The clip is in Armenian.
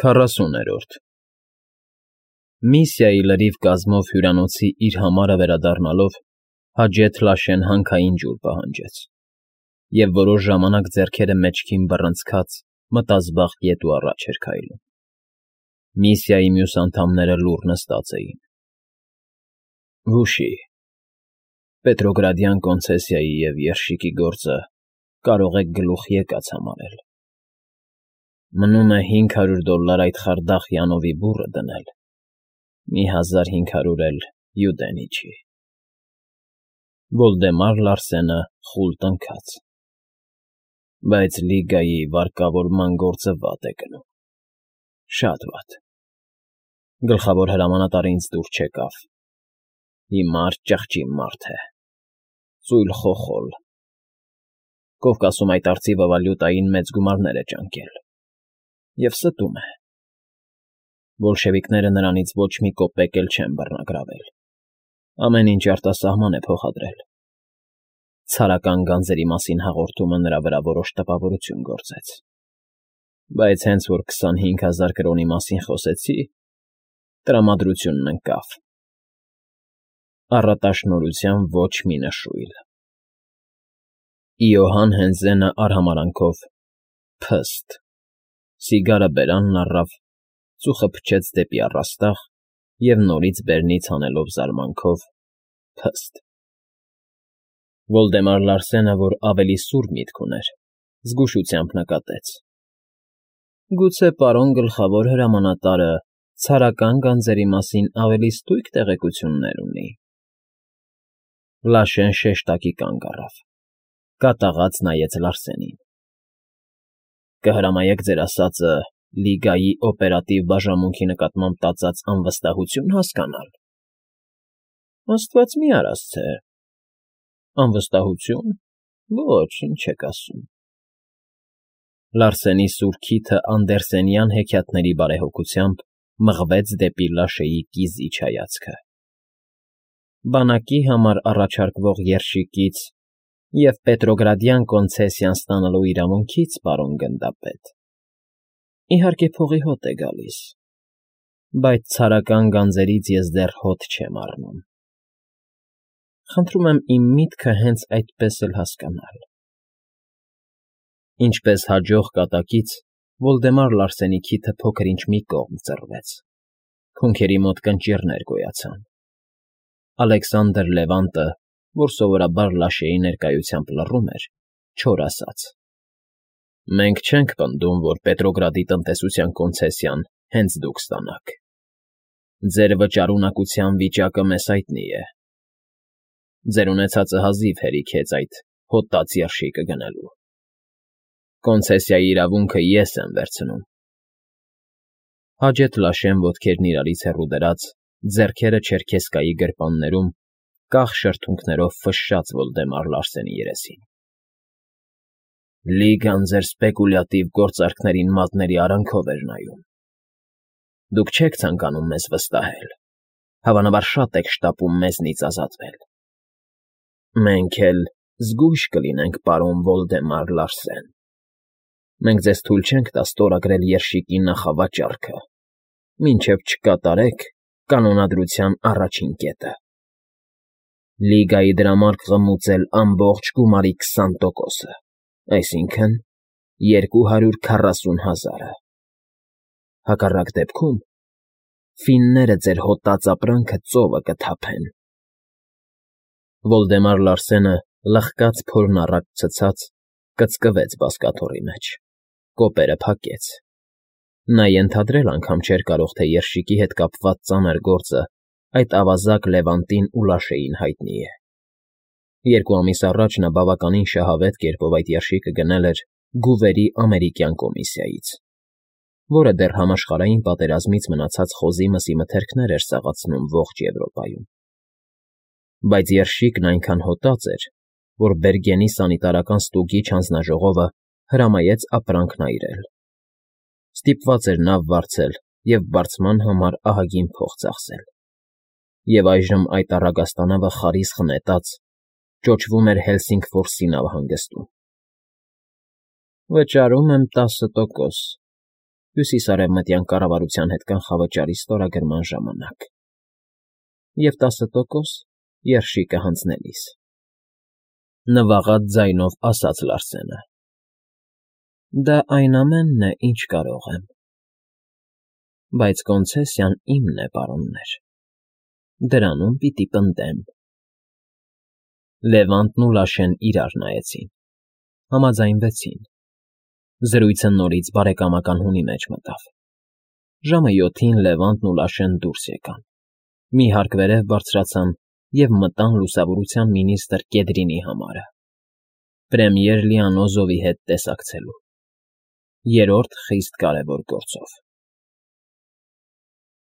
40-րդ Միսիայի լրիվ կազմով հյուրանոցի իր համարը վերադառնալով Հաջեթ Լաշեն հանքային ջուր պահանջեց և որոշ ժամանակ ձեռքերը մեջքին բռնցքած մտազբաղ գետու առաջ էր քայլում։ Միսիայի մյուս անդամները լուռ նստած էին։ Հուշի, Պետրոգրադյան կոնցեսիայի և երշիկի գործը կարող եք գլուխ եկած համարել։ Մնում է $500 այդ խարդախ յանովի բուռը դնել, 1500 էլ Յուդենիչի։ Վոլդեմար Լարսենը խուլ տնքաց։ Բայց Լիգայի վարկավորման գործը վատ է գնում, շատ վատ։ Գլխավոր հրամանատարը ինձ դուր չեկավ։ Հիմար ճղճի մարդ է, ծույլ խոխոլ։ Կովկասում այդ արծիվը վալյուտային մեծ գումարներ է ճանկել և ստում է։ Բոլշևիկները նրանից ոչ մի կոպեկ էլ չեն բռնագրավել, ամեն ինչ արտասահման է փոխադրել։ Ցարական գանձերի մասին հաղորդումը նրա վրա որոշ տպավորություն գործեց, բայց հենց որ 25,000 կրոնի մասին խոսեցի, տրամադրությունն ընկավ։ Առատաշնորհության ոչ մի նշույլ։ Իոհան Հենզենը արհամարհանքով փստ, սիգարը բերանն առավ, ծուխը փչեց դեպի առաստաղ և նորից բերնից հանելով զարմանքով փստ։ Վոլդեմար Լարսենը, որ ավելի սուր միտք ուներ, զգուշությամբ նկատեց. Գուցե պարոն գլխավոր հրամանատարը ցարական գանձերի մասին ավելի ստույգ տեղեկություններ ունի։ Լաշեն շեշտակի կանգ առավ, կատաղած նայեց Լարսենին։ Կհրամայեք ձեր ասածը Լիգայի օպերատիվ բաժանմունքի նկատմամբ տածած անվստահություն հասկանալ։ Աստված մի արասցե։ Անվստահություն։ Ոչ, ինչ եք ասում։ Լարսենի սուր քիթը անդերսենյան հեքիաթների բարեհոգությամբ մղվեց դեպի Լաշեի կիզիչ հայացքը։ Բանակի համար առաջարկվող երշիկից և Պետրոգրադյան կոնցեսիան ստանալու իրավունքից, պարոն գնդապետ, իհարկե փողի հոտ է գալիս, բայց ցարական գանձերից ես դեռ հոտ չեմ առնում։ Խնդրում եմ իմ միտքը հենց այդպես էլ հասկանալ։ Ինչպես հաջող կատակից, Վոլդեմար Լարսենի քիթը փոքր-ինչ մի կողմ ծռվեց, քունքերի մոտ կնճիռներ գոյացան։ Ալեքսանդր Լևանտը, որ սովորաբար Լաշեի ներկայությամբ լռում էր, չոր ասաց. Մենք չենք պնդում, որ Պետրոգրադի տնտեսության կոնցեսիան հենց դուք ստանաք։ Ձեր վճարունակության վիճակը մեզ հայտնի է։ Ձեր ունեցածը հազիվ հերիք է այդ հոտած երշիկը գնելու։ Կոնցեսիայի իրավունքը ես եմ վերցնում։ Հաջեթ Լաշեն ոտքերն իրարից հեռու դրած, ձեռքերը չերքեսկայի գրպաններում, կախ շրթունքներով ֆշշաց Վոլդեմար Լարսենի երեսին։ Լիգան ձեր սպեկուլյատիվ գործարքներին մատների արանքով էր նայում։ Դուք չեք ցանկանում մեզ վստահել, հավանաբար շատ եք շտապում մեզնից ազատվել։ Մենք էլ զգույշ կլինենք, պարոն Վոլդեմար Լարսեն։ Մենք ձեզ թույլ չենք տա ստորագրել երշիկի նախավաճառքը, մինչև չկատարեք կանոնադրության առաջին կետը։ Լիգայի դրամարկղը խմուծել ամբողջ գումարի 20%, այսինքն 240,000-ը։ Հակառակ դեպքում ֆինները ձեր հոտած ապրանքը ծովը կթափեն։ Վոլդեմար Լարսենը լղկած փորն առաջ ցցած կծկվեց բազկաթոռի մեջ, կոպերը փակեց։ Նա ենթադրել անգամ չէր կարող, թե երշիկի հետ կապված ծանր գործը այդ ավազակ Լևանտին ու Լաշեին հայտնի է։ 2 ամիս առաջ նա բավականին շահավետ կերպով այդ երշիկը գնել էր Գուվերի ամերիկյան կոմիսիայից, որը դեռ համաշխարհային պատերազմից մնացած խոզի մսի մթերքներ էր սաղացնում ողջ Եվրոպայում։ Բայց երշիկն այնքան հոտած էր, որ Բերգենի սանիտարական ստուգիչ հանձնաժողովը հրամայեց ապրանքն այրել։ Ստիպված էր նավ վարձել և վարձման համար ահագին փող ծախսել։ Եվ այժմ այդ առագաստանավը խարիսխ նետած ճոճվում էր Հելսինգֆորսի նավահանգստում։ Վճարում եմ 10%, Հյուսիսարևմտյան կառավարության հետ կանխավճարի ստորագրման ժամանակ։ Եվ 10% երշիկը հանձնելիս։ Նվաղած ձայնով ասաց Լարսենը. Դա այն ամենն է, ինչ կարող եմ։ Բայց կոնցեսիան իմն է, պարոններ, դրանում պիտի պնդեմ։ Լևանտն ու Լաշեն իրար նայեցին, համաձայնվեցին։ Զրույցը նորից բարեկամական հունի մեջ մտավ։ Ժամը 7-ին Լևանտն ու Լաշեն դուրս եկան, մի հարկ վերև բարձրացան և մտան լուսավորության մինիստր Կեդրինի համարը, պրեմիեր Լիանոզովի հետ տեսակցելու, երրորդ խիստ կարևոր գործով։